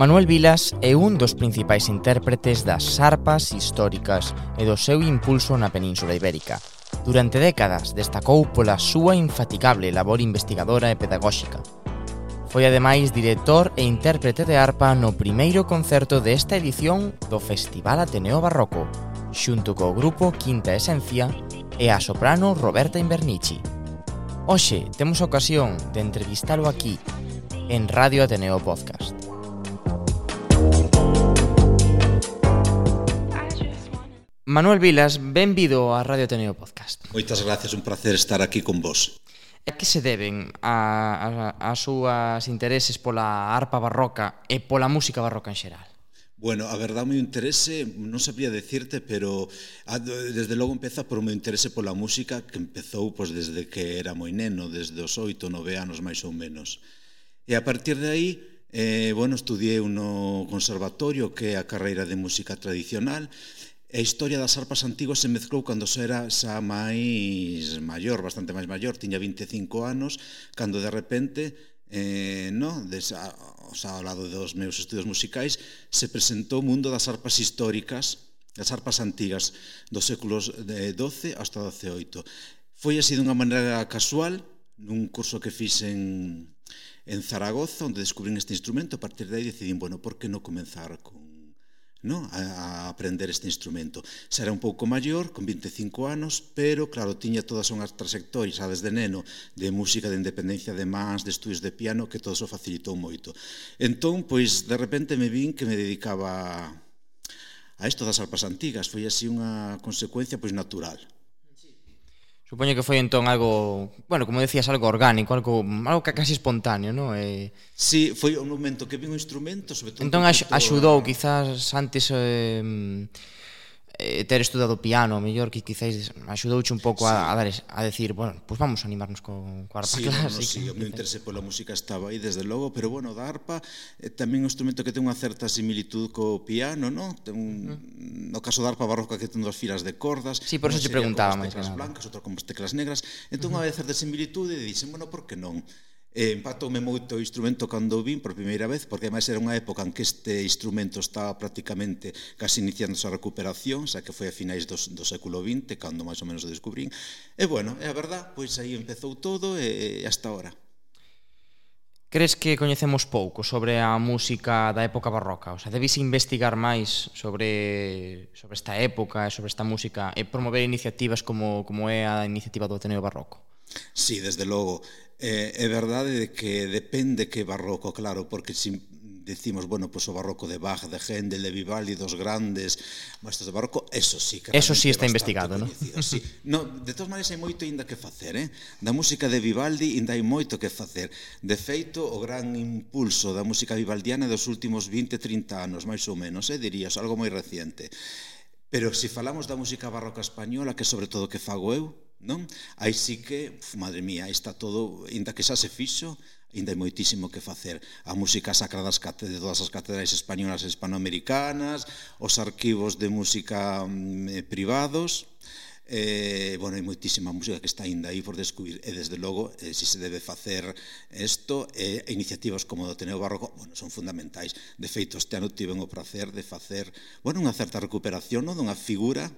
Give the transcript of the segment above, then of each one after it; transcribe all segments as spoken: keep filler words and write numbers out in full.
Manuel Vilas é un dos principais intérpretes das arpas históricas e do seu impulso na Península Ibérica. Durante décadas destacou pola súa infatigable labor investigadora e pedagóxica. Foi ademais director e intérprete de arpa no primeiro concerto desta edición do Festival Ateneo Barroco, xunto co grupo Quinta Esencia e a soprano Roberta Invernici. Hoxe temos a ocasión de entrevistalo aquí, en Radio Ateneo Podcast. Manuel Vilas, benvido a Radio Ateneo Podcast. Moitas gracias, un placer estar aquí con vos. A que se deben a, a, a súas intereses pola arpa barroca e pola música barroca en xeral? Bueno, a verdade, o meu interese, non sabría decirte, pero desde logo empeza por o meu interese pola música, que empezou pois, desde que era moi neno, desde os oito, nove anos máis ou menos. E a partir de aí, eh, bueno, estudiei no conservatorio, que é a carreira de música tradicional. A historia das arpas antiguas se mezclou cando xa era xa máis maior, bastante máis maior, tiña vinte e cinco anos, cando de repente, eh, no, desa, o sea, ao lado dos meus estudios musicais, se presentou o mundo das arpas históricas, das arpas antigas, dos séculos doce hasta doce oito. Foi así dunha maneira casual, nun curso que fiz en, en Zaragoza, onde descubrín este instrumento. A partir de aí decidín, bueno, por que non comenzar con No, a, a aprender este instrumento. Xa era un pouco maior, con vinte e cinco anos, pero, claro, tiña todas unhas trayectorias, xa desde neno, de música, de independencia de mans, de estudios de piano, que todo eso facilitou moito. Entón, pois, de repente me vin que me dedicaba a isto das arpas antigas. Foi así unha consecuencia, pois, natural. Supoño que foi entón algo, bueno, como decías, algo orgánico, algo, algo casi espontáneo, non? E... Sí, foi un momento que vi un instrumento, sobre todo... Entón axudou, a... quizás, antes eh, eh, ter estudado piano, mellor que quizás axudouche un pouco sí. a, a, dar, a decir, bueno, pues vamos a animarnos co, co arpa sí, clásica. No, no, sí, o meu interese pola música estaba aí, desde logo, pero, bueno, da arpa é tamén un instrumento que ten unha certa similitud co piano, non? Ten un... Uh -huh. No caso da arpa barroca que ten dos filas de cordas. Sí, por eso te preguntaba máis que nada. Teclas blancas, outra con teclas negras. Entón, uh -huh. unha vez certa similitude, e dixen, bueno, por que non? E empatoume moito o instrumento cando o vin por primeira vez, porque ademais era unha época en que este instrumento estaba prácticamente casi iniciando a recuperación, xa que foi a finais do, do século vinte, cando máis ou menos o descubrín. E, bueno, é a verdad, pois aí empezou todo e, e hasta ahora. Crees que coñecemos pouco sobre a música da época barroca? O sea, debes investigar máis sobre, sobre esta época e sobre esta música e promover iniciativas como, como é a iniciativa do Ateneo Barroco? Sí, desde logo. Eh, é verdade de que depende que barroco, claro, porque se decimos, bueno, pues o barroco de Bach, de Händel, de Vivaldi, dos grandes maestros de barroco, eso sí que eso sí está investigado, ¿no? Sí. No, de todas maneiras hai moito ainda que facer, eh? Da música de Vivaldi ainda hai moito que facer. De feito, o gran impulso da música vivaldiana dos últimos vinte, trinta anos, máis ou menos, eh, dirías, algo moi reciente. Pero se falamos da música barroca española, que sobre todo que fago eu, non? Aí sí que, uf, madre mía, aí está todo, ainda que xa se fixo, ainda hai moitísimo que facer. A música sacra das de todas as catedrais españolas e hispanoamericanas, os arquivos de música eh, privados, eh, bueno, hai moitísima música que está ainda aí por descubrir, e desde logo, eh, si se debe facer isto, eh, iniciativas como o Ateneo Barroco, bueno, son fundamentais. De feito, este ano tiven o prazer de facer, bueno, unha certa recuperación, non, dunha figura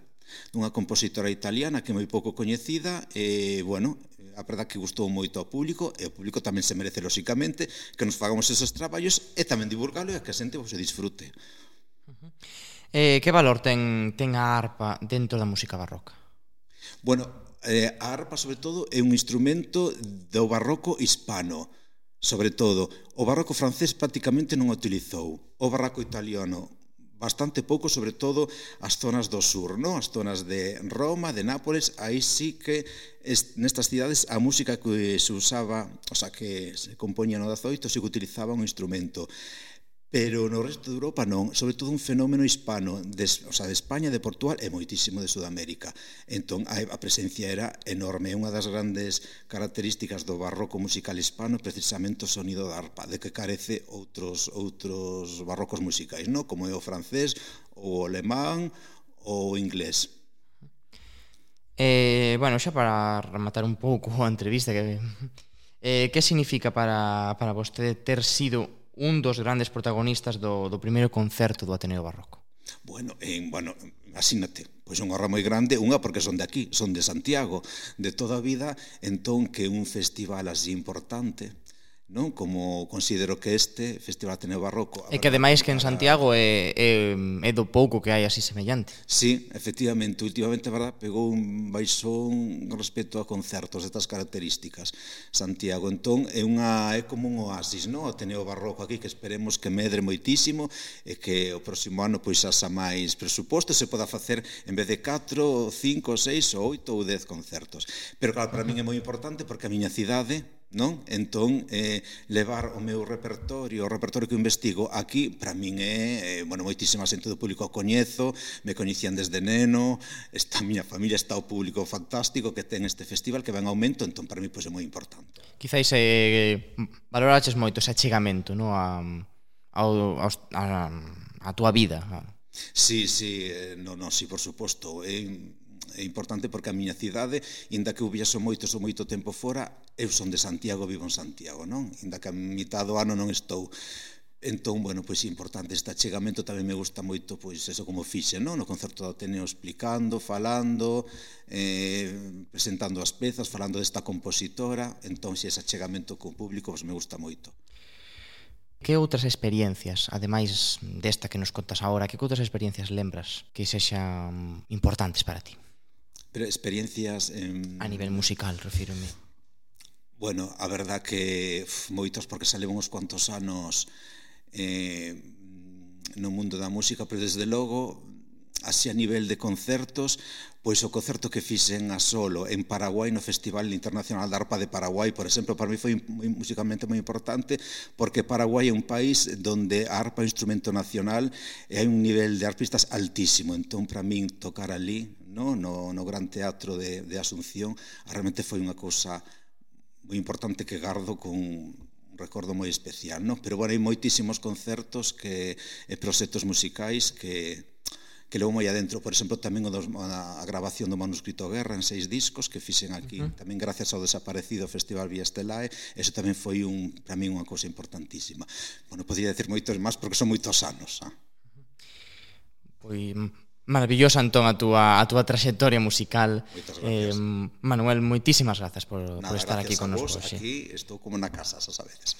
dunha compositora italiana que é moi pouco coñecida e, bueno, a verdad que gustou moito ao público e o público tamén se merece, lóxicamente, que nos fagamos esos traballos e tamén divulgalo e que a xente se disfrute. Uh-huh. eh, que valor ten, ten a arpa dentro da música barroca? Bueno, eh, a arpa, sobre todo, é un instrumento do barroco hispano. Sobre todo, o barroco francés prácticamente non o utilizou. O barroco italiano bastante pouco, sobre todo as zonas do sur, non? As zonas de Roma, de Nápoles, aí sí que nestas cidades a música que se usaba, o sea, que se compoñía no dezaoito, sí que utilizaba un instrumento. Pero no resto de Europa non, sobre todo un fenómeno hispano, de, o sea, de España, de Portugal e moitísimo de Sudamérica. Entón, a, a presencia era enorme. Unha das grandes características do barroco musical hispano é precisamente o sonido da arpa, de que carece outros, outros barrocos musicais, non? Como é o francés, o alemán ou o inglés. Eh, bueno, xa para rematar un pouco a entrevista, que, eh, que significa para, para vostede ter sido un dos grandes protagonistas do, do primeiro concerto do Ateneo Barroco. Bueno, eh, bueno, asínate, pois unha honra moi grande, unha porque son de aquí, son de Santiago, de toda a vida, entón que un festival así importante, non? Como considero que este Festival Ateneo Barroco... E que ademais que en Santiago é, é, é do pouco que hai así semellante. Sí, efectivamente, últimamente, verdad, pegou un baixón respecto a concertos destas características Santiago, entón é unha é como un oasis, non? O Ateneo Barroco aquí, que esperemos que medre moitísimo e que o próximo ano pois haxa máis presuposto, se poda facer en vez de catro, cinco, seis, oito ou dez concertos. Pero claro, para min é moi importante porque a miña cidade, non? Entón, eh, levar o meu repertorio, o repertorio que investigo aquí, para min é, eh, bueno, moitísima xente do público o coñezo, me coñecían desde neno, esta miña familia, está o público fantástico que ten este festival que va en aumento, entón para mí pois, é moi importante. Quizáis eh, valoraches moito ese achegamento, non? A, a, a, a túa vida. Sí, sí, eh, no, no, sí, por suposto, é... Eh, é importante porque a miña cidade, inda que eu viaxo moito, sou moito tempo fora, eu son de Santiago, vivo en Santiago, non? Inda que a mitad do ano non estou. Entón, bueno, pois é importante este achegamento, tamén me gusta moito, pois, eso como fixe, non? No concerto do Ateneo explicando, falando, eh, presentando as pezas, falando desta compositora, entón, se ese achegamento co público, pois me gusta moito. Que outras experiencias, ademais desta que nos contas agora, que outras experiencias lembras que sexan importantes para ti? Pero experiencias... En... A nivel musical, refírome. Bueno, a verdad que uf, moitos, porque salemos uns cuantos anos eh, no mundo da música, pero desde logo, así a nivel de concertos, pois o concerto que fixen a solo en Paraguai no Festival Internacional da Arpa de Paraguai, por exemplo, para mí foi moi, musicalmente moi importante, porque Paraguai é un país donde a arpa é un instrumento nacional e hai un nivel de arpistas altísimo, entón para min tocar ali, no, no, no Gran Teatro de, de Asunción, realmente foi unha cousa moi importante que gardo con un recordo moi especial, no? Pero bueno, hai moitísimos concertos que, e proxectos musicais que que levo moi adentro, por exemplo, tamén o dos, a, a grabación do manuscrito Guerra en seis discos que fixen aquí, uh -huh. tamén gracias ao desaparecido Festival Vía Estelae, eso tamén foi un, para min unha cousa importantísima. Bueno, podría decir moitos máis porque son moitos anos. Ah. Pois maravillosa entón a túa, a túa traxectoria musical. Moitas gracias. Eh, Manuel, moitísimas grazas por, Nada, por estar aquí con nos. Gracias a vos, aquí estou como na casa, xa sabedes.